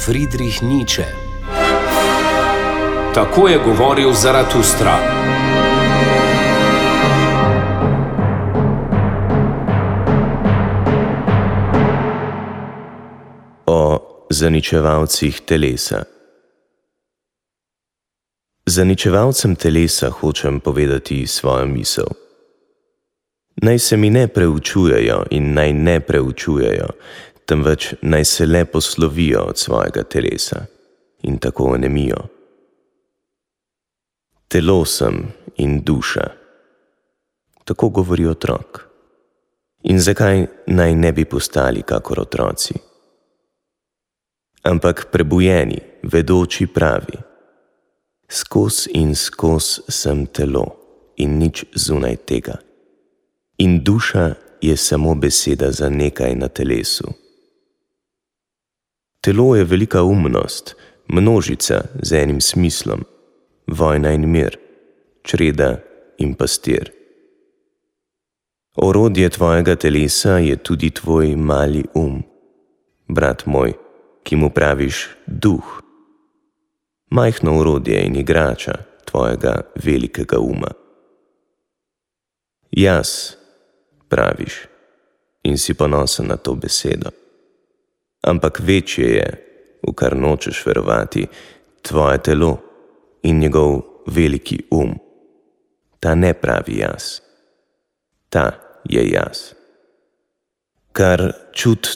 Friedrich Nietzsche. Tako je govoril Zaratustra. O zaničevalcih telesa. Zaničevalcem telesa hočem povedati svojo misel. Naj se mi ne preučujejo in naj ne preučujejo, temveč naj se le poslovijo od svojega telesa in tako onemijo. Telo sem in duša. Tako govori otrok. In zakaj naj ne bi postali kakor otroci? Ampak prebujeni, vedoči pravi: skoz in skoz sem telo in nič zunaj tega. In duša je samo beseda za nekaj na telesu. Telo je velika umnost, množica z enim smislom, vojna in mir, čreda in pastir. Orodje tvojega telesa je tudi tvoj mali brat moj, ki mu praviš duh. Majhno orodje in igrača tvojega velikega uma. Jaz, praviš, in si ponosen na to besedo. Ampak večje je, v kar nočeš verovati, tvoje telo in njegov veliki Ta ne pravi jaz. Ta je jaz. Kar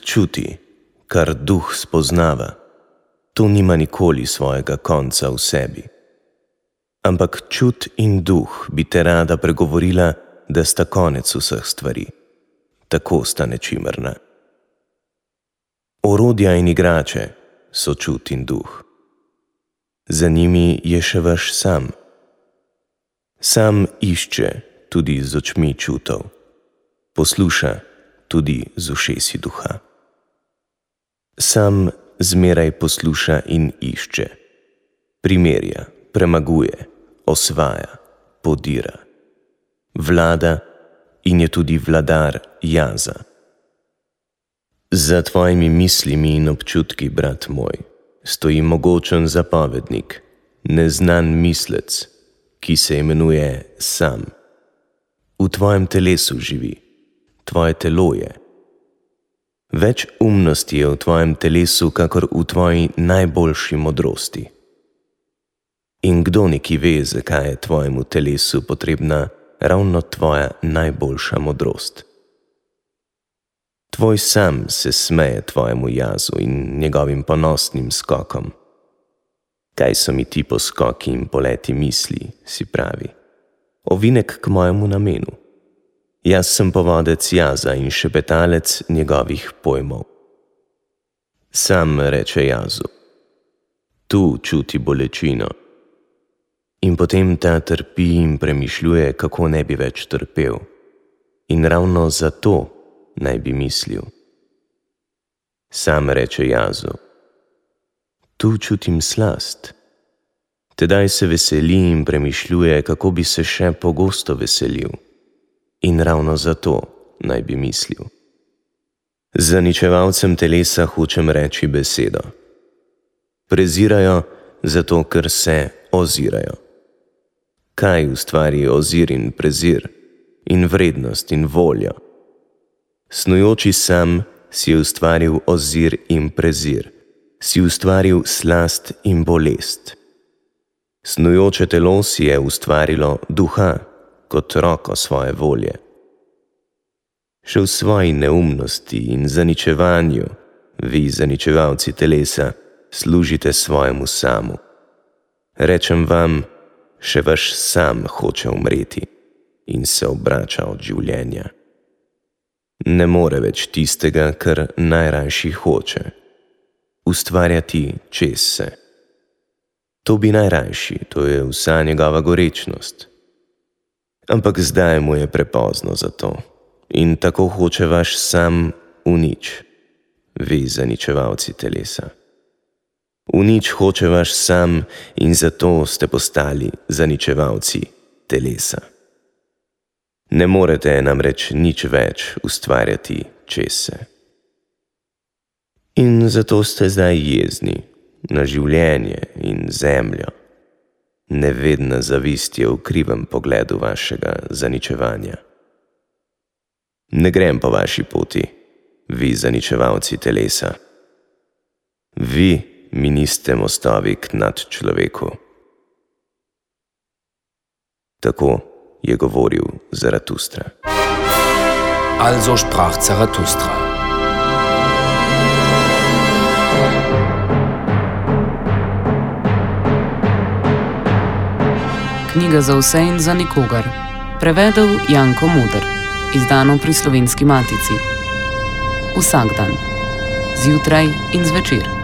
čuti, kar duh spoznava, to nima nikoli svojega konca v sebi. Ampak čut in duh bi te rada pregovorila, da sta konec vseh stvari. Tako sta nečimrna. Orodja in igrače so čut in duh. Za njimi je še vaš sam. Sam išče tudi z očmi čutov. Posluša tudi z ušesi duha. Sam zmeraj posluša in išče. Primerja, premaguje, osvaja, podira. Vlada in je tudi vladar jaza. Za tvojimi mislimi in občutki, brat moj, stoji mogočen zapovednik, neznan mislec, ki se imenuje sam. V tvojem telesu živi, tvoje telo je. Več umnosti je v tvojem telesu, kakor v tvoji najboljši modrosti. In kdo neki ve, zakaj je tvojemu telesu potrebna ravno tvoja najboljša modrost. Tvoj sam se smeje tvojemu jazu in njegovim ponosnim skokom. Kaj so mi ti poskoki in poleti misli, si pravi. Ovinek k mojemu namenu. Jaz sem povodec jaza in šepetalec njegovih pojmov. Sam reče jazu: tu čuti bolečino. In potem ta trpi in premišljuje, kako ne bi več trpel. In ravno zato naj bi mislil. Sam reče jazu: tu čutim slast. Tedaj se veseli in premišljuje, kako bi se še pogosto veselil. In ravno zato naj bi mislil. Zaničevalcem telesa hočem reči besedo. Prezirajo zato, ker se ozirajo. Kaj ustvari ozir in prezir, in vrednost in voljo? Snujoči sam si je ustvaril ozir in prezir, si ustvaril slast in bolest. Snujoče telo si je ustvarilo duha kot roko svoje volje. Še v svoji neumnosti in zaničevanju, vi, zaničevalci telesa, služite svojemu samu. Rečem vam, še vaš sam hoče umreti in se obrača od življenja. Ne more več tistega, kar najrajši hoče. Ustvarjati čez se. To bi najrajši, to je vsa njegova gorečnost. Ampak zdaj mu je prepozno za to in tako hoče vaš sam v nič, vi, zaničevalci telesa. V nič hoče vaš sam in zato ste postali zaničevalci telesa. Ne morete namreč nič več ustvarjati čez se. In zato ste zdaj jezni, na življenje in zemljo. Nevedna zavist je v krivem pogledu vašega zaničevanja. Ne grem po vaši poti, vi zaničevalci telesa. Vi mi niste mostovi k nadčloveku. Tako je govoril Zaratustra. Also sprach Zarathustra. Knjiga za vse in za nikogar. Prevedel Janko Moder. Izdano pri Slovenski matici. Vsak dan. Zjutraj in zvečer.